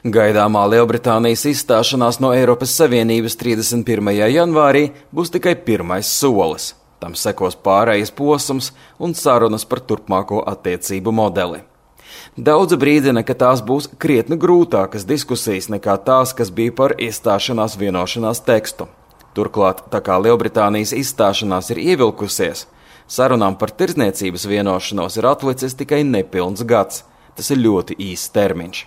Gaidāmā Lielbritānijas izstāšanās no Eiropas Savienības 31. janvārī būs tikai pirmais solis. Tam sekos pārējais posms un sarunas par turpmāko attiecību modeli. Daudzi brīdina, ka tās būs krietni grūtākas diskusijas nekā tās, kas bija par iestāšanās vienošanās tekstu. Turklāt, tā kā Lielbritānijas izstāšanās ir ievilkusies, sarunām par tirdzniecības vienošanos ir atlicis tikai nepilns gads. Tas ir ļoti īss termiņš.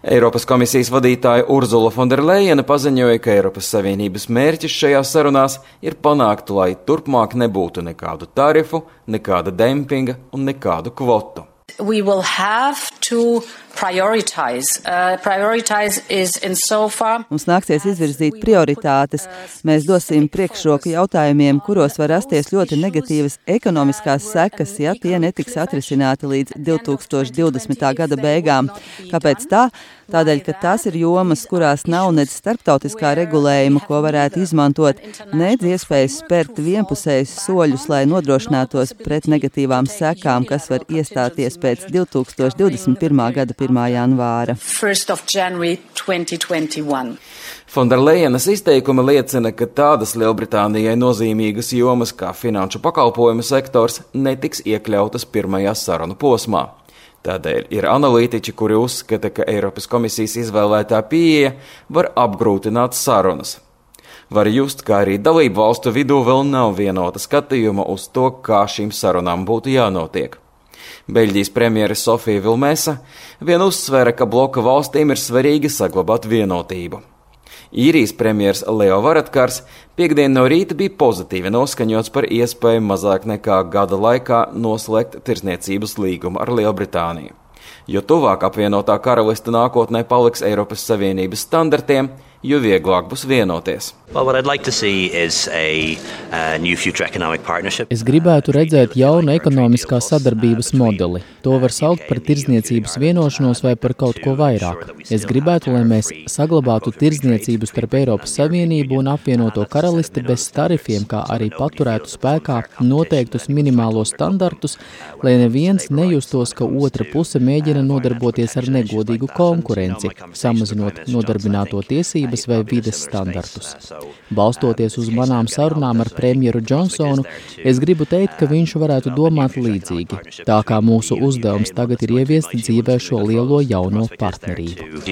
Eiropas komisijas vadītāja Urzula Fonderlejene paziņoja, ka Eiropas Savienības mērķis šajās sarunās ir panākt, lai turpmāk nebūtu nekādu tarifu, nekāda dempinga un nekādu kvotu. We will have to prioritize. Prioritize is insofar. Mums nāksies izvirzīt prioritātes. Mēs dosim priekšroku jautājumiem, kuros var rasties ļoti negatīvas ekonomiskās sekas, ja tie netiks atrisināti līdz 2020. gada beigām. Kāpēc tā? Tādēļ, ka tās ir jomas, kurās nav nec starptautiskā regulējuma, ko varētu izmantot, nec iespējas spērt vienpusējus soļus, lai nodrošinātos pret negatīvām sekām, kas var iestāties pēc 2021. gada 1. janvāra. 1. January 2021. Fonderlejenes izteikumi liecina, ka tādas Lielbritānijai nozīmīgas jomas kā finanšu pakalpojumu sektors netiks iekļautas pirmajā sarunu posmā. Tādēļ ir analītiķi, kuri uzskata, ka Eiropas komisijas izvēlētā pieeja var apgrūtināt sarunas. Var just, ka arī dalību valstu vidū vēl nav vienota skatījuma uz to, kā šīm sarunām būtu jānotiek. Beļģijas premjere Sofija Vilmesa vien uzsvēra, ka bloka valstīm ir svarīgi saglabāt vienotību. Īrijas premjers Leo Varadkars piekdien no rīta bija pozitīvi noskaņots par iespēju mazāk nekā gada laikā noslēgt tirdzniecības līgumu ar Lielbritāniju. Jo tuvāk apvienotā karaliste nākotnē paliks Eiropas Savienības standartiem, jo vieglāk būs vienoties. Es gribētu redzēt jaunu ekonomiskās sadarbības modeli. To var saukt par tirdzniecības vienošanos vai par kaut ko vairāk. Es gribētu, lai mēs saglabātu tirdzniecību starp Eiropas Savienību un apvienoto karalisti bez tarifiem, kā arī paturētu spēkā noteiktus minimālos standartus, lai neviens nejustos, ka otra puse mēģina nodarboties ar negodīgu konkurenci, samazinot nodarbināto tiesības vai vides standartus. Balstoties uz manām sarunām ar premjeru Džonsonu, es gribu teikt, ka viņš varētu domāt līdzīgi, tā kā mūsu uzdevums tagad ir ieviest dzīvē šo lielo jauno partnerību.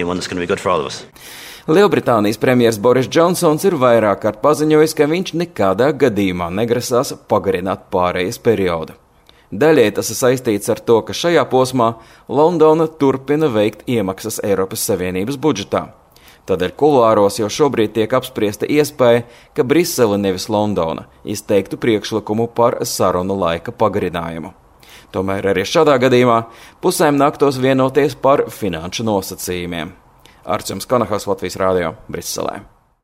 Lielbritānijas premjers Boris Džonsons ir vairāk kārt paziņojis, ka viņš nekādā gadījumā negrasās pagarināt pārejas periodu. Daļai tas ir saistīts ar to, ka šajā posmā Londona turpina veikt iemaksas Eiropas Savienības budžetā. Tādēļ kuluāros jau šobrīd tiek apspriesta iespēja, ka Brisele nevis Londona izteiktu priekšlikumu par sarunu laika pagarinājumu. Tomēr arī šādā gadījumā pusēm nāktos vienoties par finanšu nosacījumiem. Arčuns Konahaus, Latvijas Rādio, Briselē.